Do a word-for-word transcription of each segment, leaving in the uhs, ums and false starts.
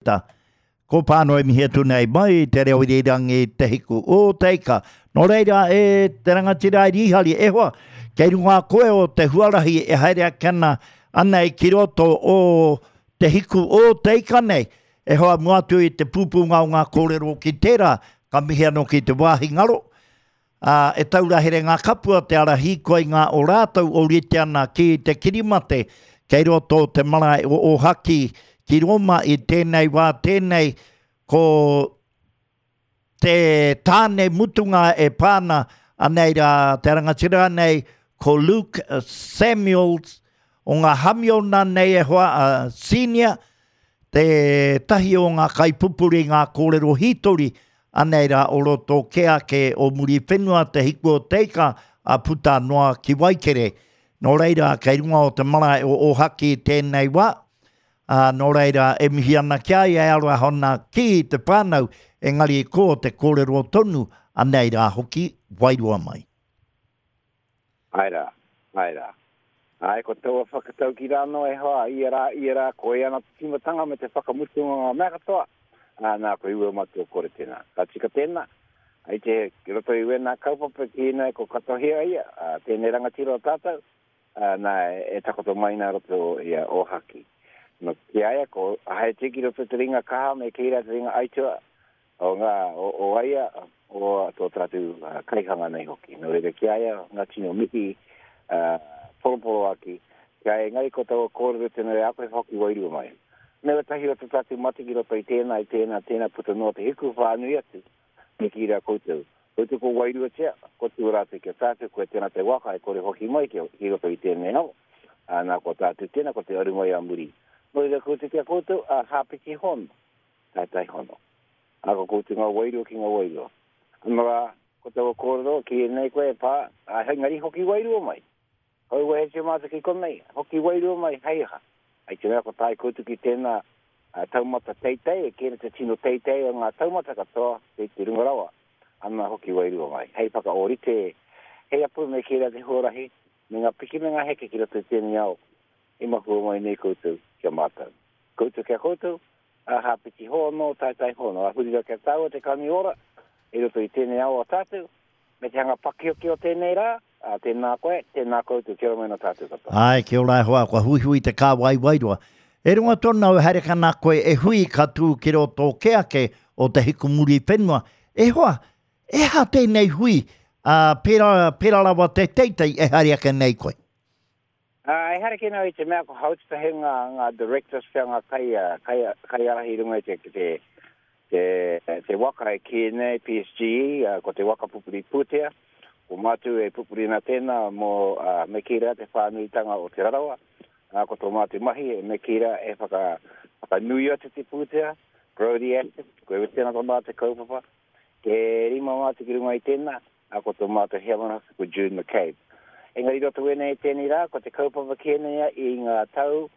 Ta. Ko pāno e mihi atu nei mai te reo irirangi te hiku o te ika. Nō reira e te rangatira e Rīhari, e hoa, kei runga koe o te huarahi e haere ake ana anei ki roto o te hiku o te ika nei. E hoa mua atu i te pūpūnga o ngā kōrero ki tērā, ka mihi anō ki te wāhi ngaro. Ā, e taura here ngā kapua te ara hīkoi ngā o rātou o rite ana ki te kirimate kei roto o te marae o Ōhaki ki Roma i tēnei wā tēnei ko te tāne mutunga e pā ana anei rā te rangatira nei ko Luke Samuels o ngā Hamiona nei e hoa a senior te tahi o ngā kaipupuri ngā kōrero hītori anei rā o roto kē ake o Muriwhenua te hiku o te ika a puta noa ki Waikere. Nō reira, kei runga o te marae o Ōhaki tēnei wā, ā, nō reira, e mihi ana ki a ia e aroha ana ki te whānau, engari ko te kōrero tonu, anei rā hoki, wairua mai. Āe rā, āe rā. Āe, ko taua whakataukī rā anō e hoa, ia rā, ia rā, koia ana te tīmatanga me te whakamutunga o ngā mea katoa, ā, nā, ko Iwi o Matua Kore tēnā. Ka tika tēnā, i te, ki roto i wēnā kaupapa ki ēnei ko katohia ia, ā, tēnei rangatira o tātou, ā, nā, e takoto mai nā roto i a Ōhaki. Nō, ki a ia, ko Haiti ki roto te ringa kaha me kī rā te ringa aitua o ngā, o, o aia, o tō tātou uh, kaihanga nei hoki. Nō reira ki a ia, ngā tino mihi, uh, poroporoaki, ki a ia, engari ko taua kōrero tēnei a koe hoki wairua mai. Me wetahi o tō tātou mate ki roto i tēnā, i tēnā, tēnā puta noa te hiku whānui atu, me kī rā koutou. Koutou ko wairuatia, ko tū rātou ki a tātou, koe tēnā te waka e kore hoki mai ki, ki roto i tēnei ao. Ā, nā ko tātou tēnā, ko te aru mai a muri. Nō reira koutou ki a koutou, a hāpiti hono, taetai hono. Ā, ko koutou ngā wairua ki ngā wairua. Anō rā, ko taua kōrero, ki ēnei koe e pā, ā, engari hoki wairua mai. Hoi wehetia mātou ki konei, hoki wairua mai, hei aha. Hei te mea ko tae koutou ki tēnā taumata teitei, e kēna te tino teitei o ngā taumata katoa, kei te runga rawa, ana hoki wairua mai. Hei whakaōrite, hei apu me kērā te huarahi, me ngā piki me ngā heke ki roto i tēnei ao, i mahua mai nei koutou ki a mātou. Koutou ki a koutou, a hāpiti hono, taetae hono, a huri rā kia tāua te kani ora, i roto i tēnei ao a tātou, me te hanga pakioki o tēnei rā, ā, tēnā koe, tēnā koutou, kia ora mai nā tātou katoa. Āe, kia ora e hoa, kua huihui te kāwai wairua. E runga tonu au e haere kana koe e hui ka tū ki roto kē ake o te hiku muri whenua. E hoa, e aha tēnei hui, ā, pērā, pērā rawa te teitei e haere ake nei koe? Ā, e haere ake nei i te mea ko Haututahi ngā, ngā directors pea ngā kai, kai, kaiārahi i runga i te, te, te, te waka e kī nei, P S G E, ā, ko te waka pupuri pūtea, ko mātou e pupuri ana tēnā mō, ā, me kī rā te whānuitanga o Te Rarawa, ā, ko tō mātou mahi e me kī rā e whaka, whakanui atu te pūtea, grow the asset, koe tēnā tō mātou kaupapa, e rima mātou ki runga i tēnā, ā, ko tō mātou heamana hoki ko June McCabe. Engari roto wēnei tēnei rā, ko te kaupapa kēnei i ngā tau,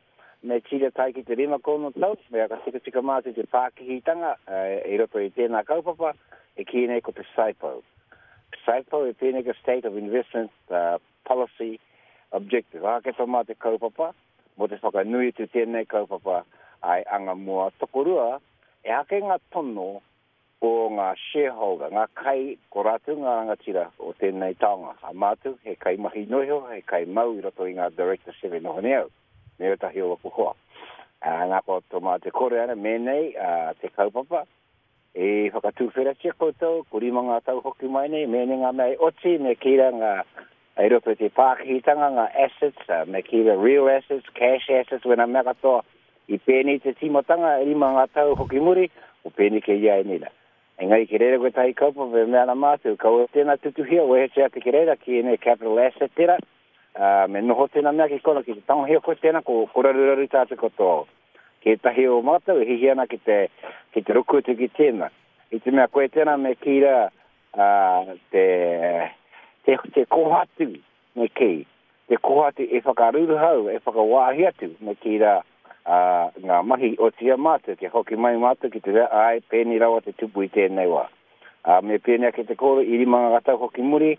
me tira tae ki te rima kono tau, me aka tikatika mātou te pākihitanga, uh, i roto i tēnā kaupapa, e kī nei ko te SIPO. SIPO e pēnei ka State of Investment uh, Policy Objective. Ā, ke tō mātou kaupapa, mō te whakanui atu tēnei kaupapa ai anga mua tokorua, e hake ngā tono o ngā shareholder, ngā kai, ko rātou ngā rangatira o tēnei taonga. A mātou, he kai mahi noiho, he kai mau i roto i ngā director seven noho nei au, me ētahi o aku hoa. Ā, nā ko tō mātou kore ana, mēnei, ā, te kaupapa, e whakatūwheratia koutou, ko rima ngā tau hoki mai nei, mēnei ngā mea e oti, me kīra ngā, i roto i te pākihitanga, ngā assets, uh, me kīra real assets, cash assets, wena mea katoa, i pēnei te tīmatanga, e rima ngā tau hoki muri, o pēnei ke ia e nina. Engari ki reira koe tahi kaupapa e mea ana mātou, kaua tēnā tutuhia, wehetia atu ki reira, ki ēnei capital asset tērā, uh, me noho tēnā mea ki kona, ki te tangohia koe tēnā, ko, ko raruraru tātou katoa. Ki ētahi o mātou, e hihi ana ki te, ki te ruku atu ki tēnā. I te mea koe tēnā me kīra, uh, te, te, te kohatu me kī, te kohatu e whakaruruhau, e whakawāhi atu me kīra, uh, ngā mahi o tia mātou, kia hoki mai mātou ki te rea, ai, pēni rawa te tupu i tēnei wā. Uh, me pēni ake te kōrero, i rima ngā tau hoki muri,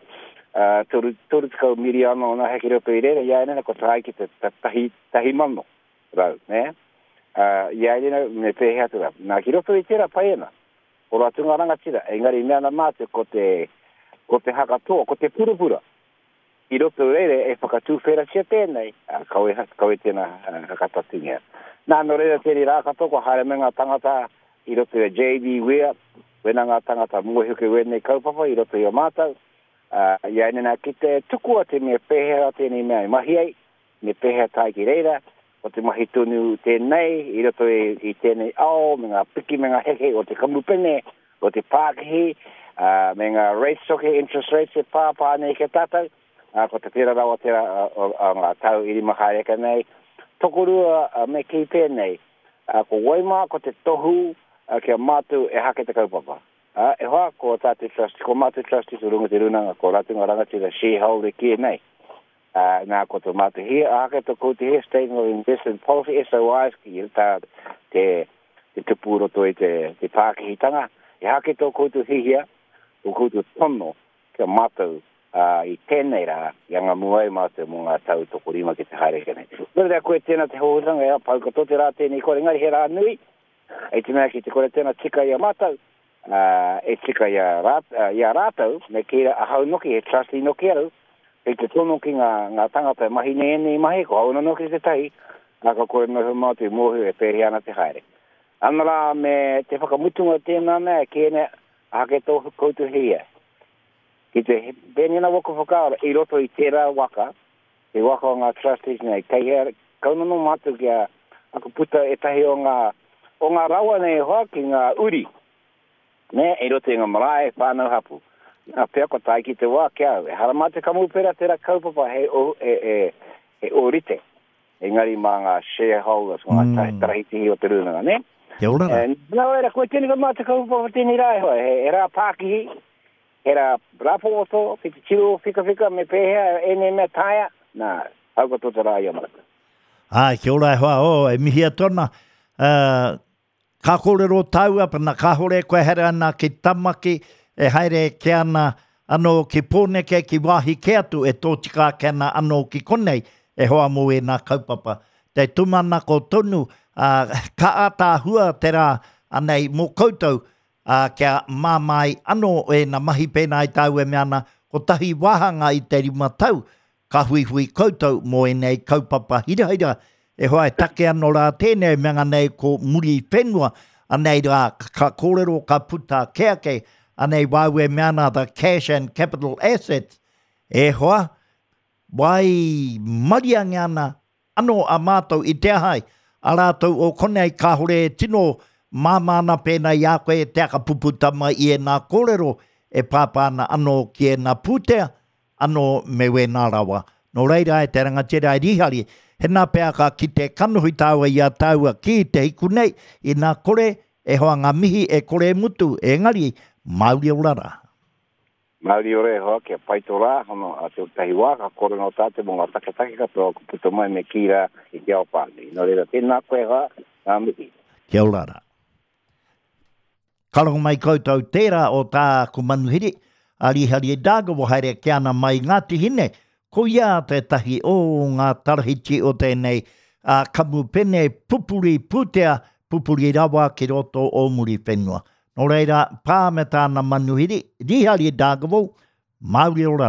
uh, toru, toru tekau miriano o nā heke roto i reira, ia enena ko tae ki te tahi, tahi mano rau, ne? Uh, ia ina me pēhea atu rā. Nā, ki roto i tērā pai ana. O rātou ngā rangatira, engari mea ana mātou ko te, ko te hakatoa, ko te purapura. I roto reire e whakatūwheratia tēnei, uh, kau e, kau e tēnā uh, hakatatungia. Nā, nō reira tēnei rā katoa, ko haere me ngā tangata i roto i a J B Weir, wena ngā tangata mōhio ki wēnei kaupapa i roto i o mātou. Uh, ia ina nā ki te tukua te mea pēhea tēnei mea i mahi ai, me pēhea tae ki reira, o te mahi tonu tēnei, i roto i, i tēnei ao, me ngā piki me ngā heke o te kamupene, o te pākihi, uh, me ngā rates hoki, interest rates e pāpā nei ki tātou, uh, ko te pera rawa tērā o, o, o ngā tau i rima haereka nei. Tokorua uh, me ki pēnei, uh, ko waimā ko te tohu uh, kia mātou e hake te kaupapa. Uh, e hoa, ko tātou trust, ko mātou trustees o runga te runanga, ko rātou ngā rangatira shareholder ki e nei. Uh, nā, ko tō mātou hia, ake tō koutou hia, Statement of Investment Policy, S O Is, ki tā te, te tupu roto i te, te pākihitanga. E hake tō koutou hihia, tō koutou tono, kia mātou uh, i tēnei rā, i anga muai mātou mō ngā tau tokorima ki te haere ke nei. Nō reira koe tēnā te hōhutanga, e pau katoa te rā tēnei kore, engari he rā nui, e te mea ki te kore tēnā tika i a mātou, uh, e tika i a, rāt, uh, i a rātou, me kīra ahau noki, he trustee noki au, i te tono ki ngā, ngā tangata e mahi nei nei mahi, ko au noki te tahi, nā ka kore noho mātou i mōhio e pēhi ana te haere. Ana rā me te whakamutunga tēnā mea, kēne hake tō koutou hia. Ki te pēnina waka whakaara i roto i tērā waka, te waka o ngā trustees nei, kei hea, kaunono mātou kia aku puta e tahi o ngā, o ngā rawa nei hoa ki ngā uri, ne, i roto i ngā marae whānau hapu. Nā, pea ko tae ki te wā kia au. E hara mā te kamupera tērā kaupapa he, o, e, e, he ōrite. Engari mā ngā shareholders, ngā mm. tarahitihi o te rūnanga, ne? Kia ora rā. E, nā reira, koe tēnei ko mā te kaupapa tēnei rā e hoa. He, he rā pākihi, he rā rāpōto, ki te tiro whikawhika me pēhea ēnei mea taea. Nā, hau katoa te rā i a mātou. Ai, kia ora e hoa, o, e mihi atu ana. Uh, ka kōrero tāua, pana kāhore koe here ana ki Tamaki, e haere ke ana anō ki Pōneke, ki wāhi ke atu, e tōtika ake ana anō ki konei, e hoa mō e nā kaupapa. Te tūmanako tonu, uh, ka ātaahua te rā anei mō koutou, uh, kia māmai anō e nā mahi pēnā i tāu e mea ana, kotahi wāhanga i te rima tau, ka huihui koutou mō ēnei kaupapa hirahira, e hoa e take anō rā tēnei mea nei ko muri whenua, anei rā ka kōrero ka puta ke ake, anei wāu e mea ana the cash and capital assets, e hoa, wai mariange ana anō a mātou i te ahai, a rātou o konei kāhore e tino māmā ana pēnā i a koe te aka puputama i e nā kōrero e pāpā ana anō ki e nā pūtea, anō me wēnā rawa. Nō reira e te rangatira e Rihari, he nā pea ka ki te kanohi tāua i a tāua ki te hiku nei, i nā kore e hoa ngā mihi e kore e mutu, engari, Māori ora rā. Māori ora e hoa, kia pai tō rā, hono a te tahi wā, ka kore no tātou mō ngā taketake katoa, ko puta mai me kī rā i te ao whānui. Nō reira, tēnā koe hoa, ngā mihi. Kia ora rā. Ka rongo mai koutou tērā o tāku manuhiri, a Rihari e Dargaville haere ke ana mai Ngāti Hine, ko ia tētahi o ngā tarahiti o tēnei a kamupene pupuri pūtea, pupuri rawa ki roto o muri whenua. Nō reira, pā me tāna manuhiri, Rihari Dargaville, Māori ora.